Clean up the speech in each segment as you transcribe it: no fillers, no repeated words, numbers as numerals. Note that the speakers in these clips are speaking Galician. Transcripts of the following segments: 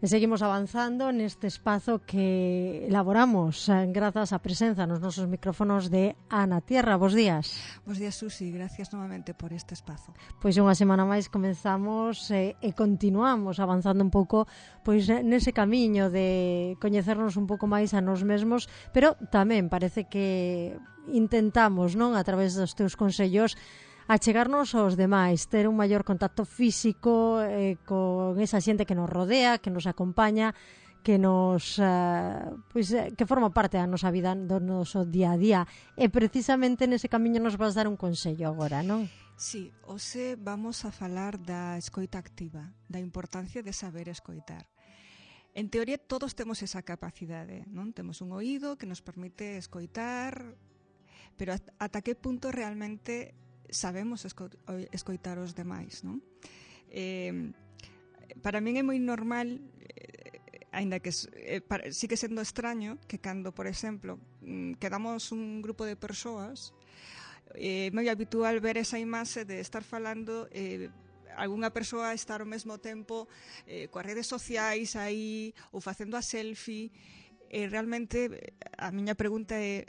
E seguimos avanzando neste espazo que elaboramos grazas á presenza nos nosos micrófonos de Ana Tierra. Bos días. Bos días, Susi. Gracias novamente por este espazo. Pois unha semana máis comenzamos e continuamos avanzando un pouco pois nese camiño de coñecernos un pouco máis a nos mesmos, pero tamén parece que intentamos, non, a través dos teus consellos, achegarnos aos demais, ter un maior contacto físico con esa xente que nos rodea, que nos acompaña, que nos que forma parte da nosa vida, do noso día a día. E precisamente nese camiño nos vas dar un consello agora, non? Sí, hoxe vamos a falar da escoita activa, da importancia de saber escoitar. En teoría todos temos esa capacidade, non? Temos un oído que nos permite escoitar, pero ata que punto realmente sabemos escoitar os demais, non? Para min é moi normal, aínda que sigue sendo extraño, que cando, por exemplo, quedamos un grupo de persoas, é moi habitual ver esa imaxe de estar falando, algunha persoa estar ao mesmo tempo coas redes sociais aí, ou facendo a selfie, e realmente a miña pregunta é: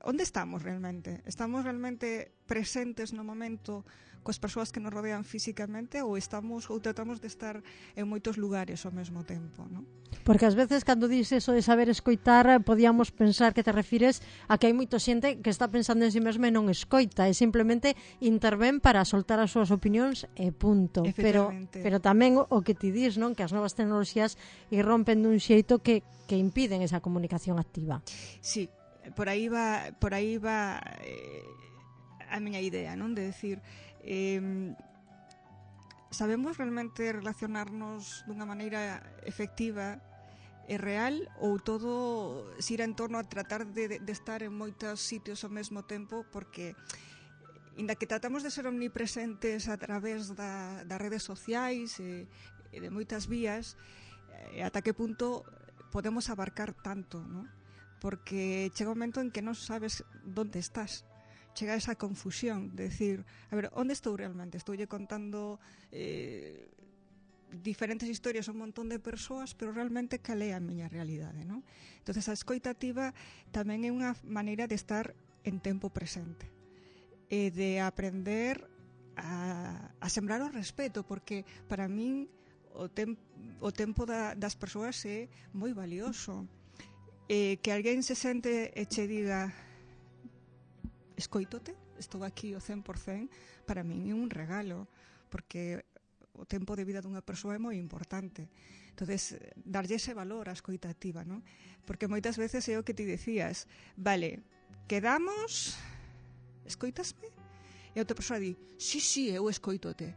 onde estamos realmente? Estamos realmente presentes no momento coas persoas que nos rodean físicamente ou tratamos de estar en moitos lugares ao mesmo tempo, non? Porque ás veces cando dices eso de saber escoitar, podíamos pensar que te refires a que hai moita xente que está pensando en si mesma e non escoita, e simplemente intervén para soltar as súas opinións e punto. Pero tamén o que ti dis, non, que as novas tecnoloxías irrompen dun xeito que impiden esa comunicación activa. Sí, por aí va a miña idea, non? De decir, sabemos realmente relacionarnos dunha maneira efectiva e real, ou todo xira en torno a tratar de estar en moitos sitios ao mesmo tempo, porque inda que tratamos de ser omnipresentes a través das redes sociais e de moitas vías, ata que punto podemos abarcar tanto, non? Porque chega un momento en que non sabes onde estás. Chega esa confusión de decir, a ver, onde estou realmente? Estoulle contando diferentes historias a un montón de persoas, pero realmente cal é a miña realidade, non? Entonces a escoita activa tamén é unha maneira de estar en tempo presente e de aprender a sembrar o respeto, porque para min o tempo das persoas é moi valioso. Que alguén se sente e che diga: escoítote, estou aquí o 100%, para min é un regalo, porque o tempo de vida dunha persoa é moi importante. Entonces, darlle ese valor á escoita activa, non? Porque moitas veces é o que ti decías: vale, quedamos, escoitasme? E a outra persoa di: sí, eu escoítote.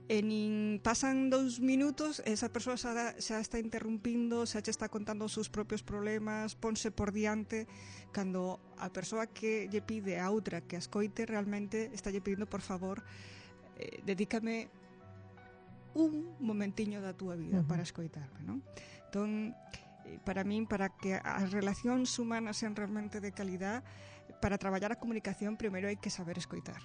E nin pasan 2 minutos, esa persoa xa está interrumpindo, xa che está contando os seus propios problemas, ponse por diante, cando a persoa que lle pide a outra que a escoite realmente está lle pedindo: por favor, dedícame un momentiño da túa vida para escoitarme, non? Entón, para min, para que as relacións humanas sean realmente de calidad, para traballar a comunicación, primeiro hai que saber escoitar,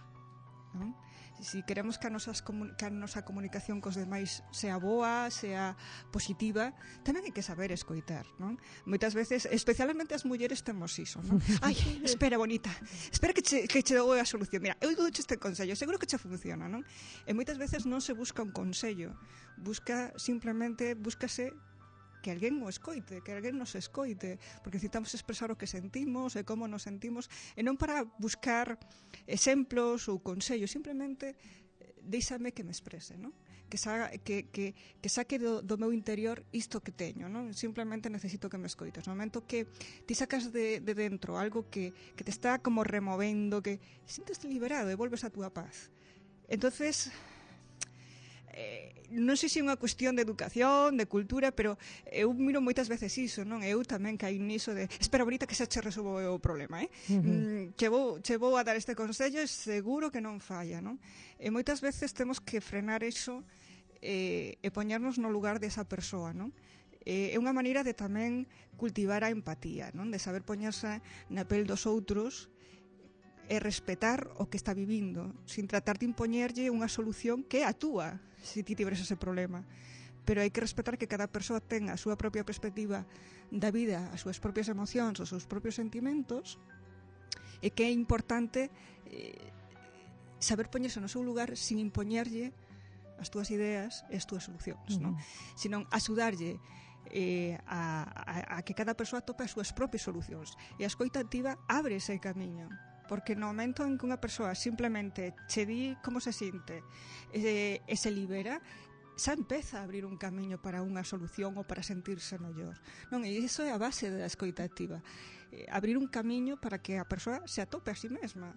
non? Si queremos que a nosa comunicación cos demais sea boa, sea positiva, tamén hai que saber escoitar, non? Moitas veces, especialmente as mulleres, temos iso, non? Ai, espera, bonita, espera que che dou a solución. Mira, eu dou este consello, seguro que che funciona, non? E moitas veces non se busca un consello, búscase que alguén o escoite, que alguén nos escoite, porque necesitamos expresar o que sentimos e como nos sentimos, e non para buscar exemplos ou consellos, simplemente deixame que me exprese, non? Que saque do meu interior isto que teño, non? Simplemente necesito que me escoites. No momento que ti sacas de dentro algo que te está como removendo, que sientes liberado e volves a túa paz. Entonces, non sei se é unha cuestión de educación, de cultura, pero eu miro moitas veces iso, non? Eu tamén caí niso de: espera, bonita, que xa che resolvo o problema, che vou a dar este consello e seguro que non falla, non? E moitas veces temos que frenar iso e poñernos no lugar desa persoa, non? É unha maneira de tamén cultivar a empatía, non? De saber poñerse na pel dos outros e respetar o que está vivindo, sin tratar de impoñerlle unha solución que é a túa, se ti tiveres ese problema. pero hai que respetar que cada persoa ten a súa propia perspectiva da vida, as súas propias emocións, os seus propios sentimentos, e que é importante saber poñerse no seu lugar sin impoñerlle as túas ideas e as túas solucións, non? Senón axudarlle a que cada persoa tope as súas propias solucións. E a escoita activa abre ese camiño, porque no momento en que unha persoa simplemente che di como se sinte e se libera, xa empeza a abrir un camiño para unha solución ou para sentirse mellor, non? E iso é a base da escoita activa, abrir un camiño para que a persoa se atope a si mesma,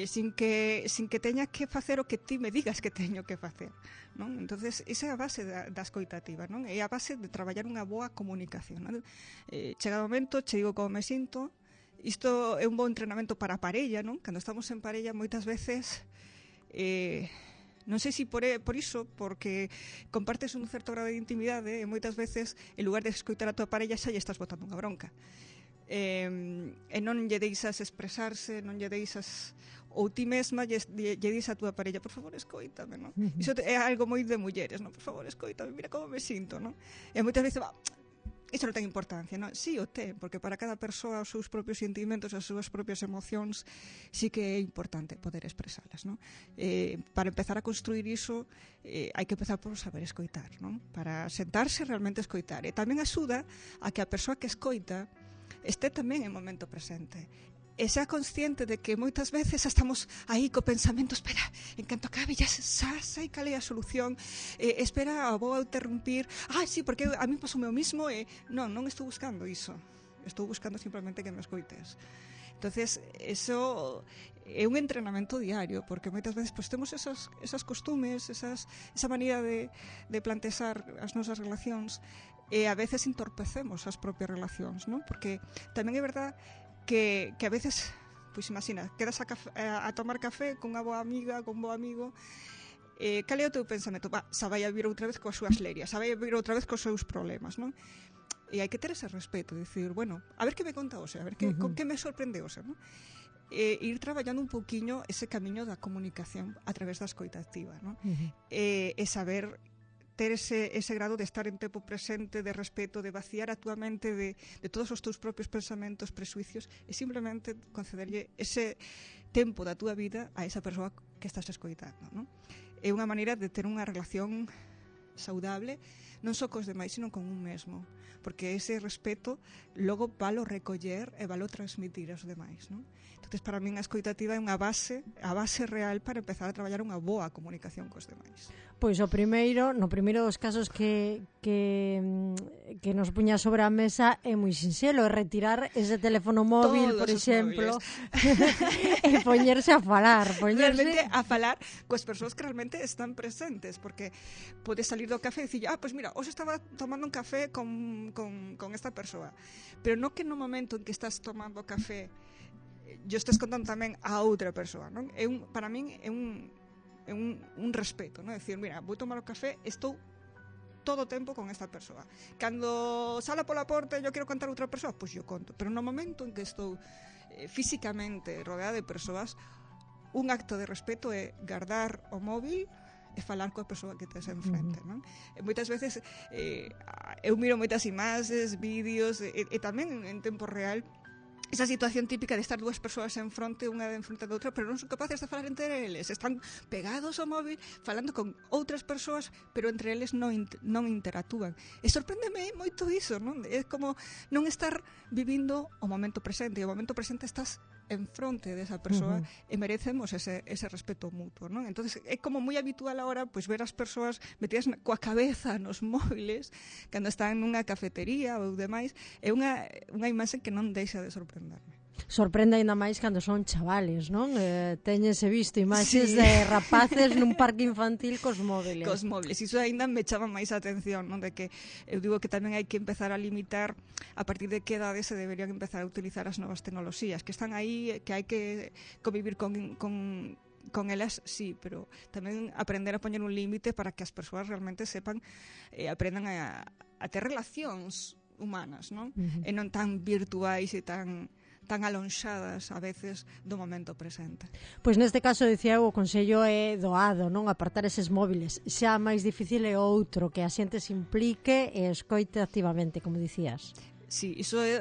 sin que teña que facer o que ti me digas que teño que facer, non? Entonces, esa é a base da escoita activa, non? É a base de traballar unha boa comunicación, non? Chega o momento, che digo como me sinto. Isto é un bo entrenamento para a parella, non? Cando estamos en parella, moitas veces non sei se por iso, porque compartes un certo grado de intimidade, e moitas veces, en lugar de escoitar a tua parella, xa lle estás botando unha bronca. E non lle deixas expresarse, non lle deixas, ou ti mesma lle dis a túa parella, por favor, escoítame, non? Iso é algo moi de mulleres, non? Por favor, escoítame, mira como me sinto, non? E moitas veces, iso non ten importancia, non? Sí o ten, porque para cada persoa os seus propios sentimentos, as súas propias emocións, sí que é importante poder expresalas, non? Para empezar a construir iso, hai que empezar por saber escoitar, non? Para sentarse e realmente escoitar. E tamén axuda a que a persoa que escoita este tamén en momento presente e sea consciente de que moitas veces estamos aí co pensamento, espera, en canto acabe xa sei cal é a solución, espera, vou a interrumpir, sí, porque a mí pasou o mesmo, non estou buscando iso, estou buscando simplemente que me escoites. Entonces, eso é un entrenamento diario, porque moitas veces pues, temos esas costumes, esa manera de plantexar as nosas relacións, e a veces entorpecemos as propias relacións, non? Porque tamén é verdad que a veces, pois imagina, quedas a tomar café con unha boa amiga, con un bo amigo, cal é o teu pensamento? Xa vai a vir outra vez coas súas lerias, xa vai a vir outra vez cos seus problemas, non? E hai que ter ese respeto, dicir, bueno, a ver que me conta hoxe, a ver con que me sorprende hoxe, non? Ir traballando un pouquiño ese camiño da comunicación a través da escoita activa, non? E saber ter ese grado de estar en tempo presente, de respeto, de vaciar a túa mente de todos os teus propios pensamentos, presuicios, e simplemente concederlle ese tempo da túa vida a esa persoa que estás escoitando, non? É unha maneira de ter unha relación saudable, non só cos demais, sino con un mesmo, porque ese respeto logo valo recoller e valo transmitir aos demais, non? Entonces, para min a escoita activa é a base real para empezar a traballar unha boa comunicación cos demais. Pois no primeiro dos casos que nos puña sobre a mesa é moi sinxelo, é retirar ese teléfono móvil, por exemplo, e poñerse a falar. Realmente a falar coas persoas que realmente están presentes, porque podes salir do café e dicir, pois mira, hoxe estaba tomando un café con esta persoa, pero non que no momento en que estás tomando café yo estés contando tamén a outra persoa, non? Para min é un respeto, non? É dicir, mira, vou tomar o café, estou todo o tempo con esta persoa. Cando sala pola porta e eu quero contar a outra persoa, pois eu conto. Pero no momento en que estou físicamente rodeada de persoas, un acto de respeto é guardar o móvil e falar coa persoa que tes enfrente, non? E moitas veces eu miro moitas imaxes, vídeos e tamén en tempo real esa situación típica de estar dúas persoas en fronte, unha en fronte da outra, pero non son capaces de falar entre eles, están pegados ao móvil falando con outras persoas, pero entre eles non interactúan. E sorpréndeme moito iso, non? É como non estar vivindo o momento presente, e o momento presente estás en fronte desa persoa e merecemos ese respeto mutuo, non? Entonces é como moi habitual agora pois ver as persoas metidas coa cabeza nos móviles cando están nunha cafetería ou demais, é unha imaxe que non deixa de sorprenderme. Sorprende ainda máis cando son chavales, non? Teñese visto imaxes de rapaces nun parque infantil cos móviles. Cos móviles, iso ainda me chama máis a atención, non? De que eu digo que tamén hai que empezar a limitar a partir de que edade se deberían empezar a utilizar as novas tecnoloxías, que están aí, que hai que convivir con elas, sí, pero tamén aprender a poñer un límite para que as persoas realmente sepan aprendan a ter relacións humanas, non? E non tan virtuais e tan tan alonxadas a veces do momento presente. Pois neste caso, dicía eu, o consello é doado, non apartar eses móviles. Xa máis difícil é outro, que a xente se implique e escoite activamente, como dicías. Sí, iso é,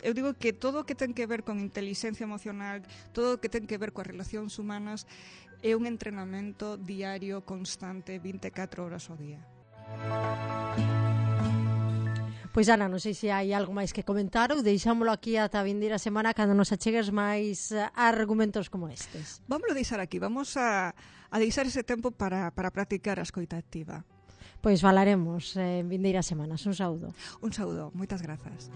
eu digo que todo o que ten que ver con inteligencia emocional, todo o que ten que ver coas relacións humanas é un entrenamento diario, constante, 24 horas ao día. Pois Ana, non sei se hai algo máis que comentar ou deixámolo aquí ata a vindeira semana cando nos achegues máis argumentos como estes. Vamos a deixar aquí, vamos a deixar ese tempo para practicar a escoita activa. Pois falaremos en vindeiras semanas. Un saúdo. Un saúdo, moitas grazas.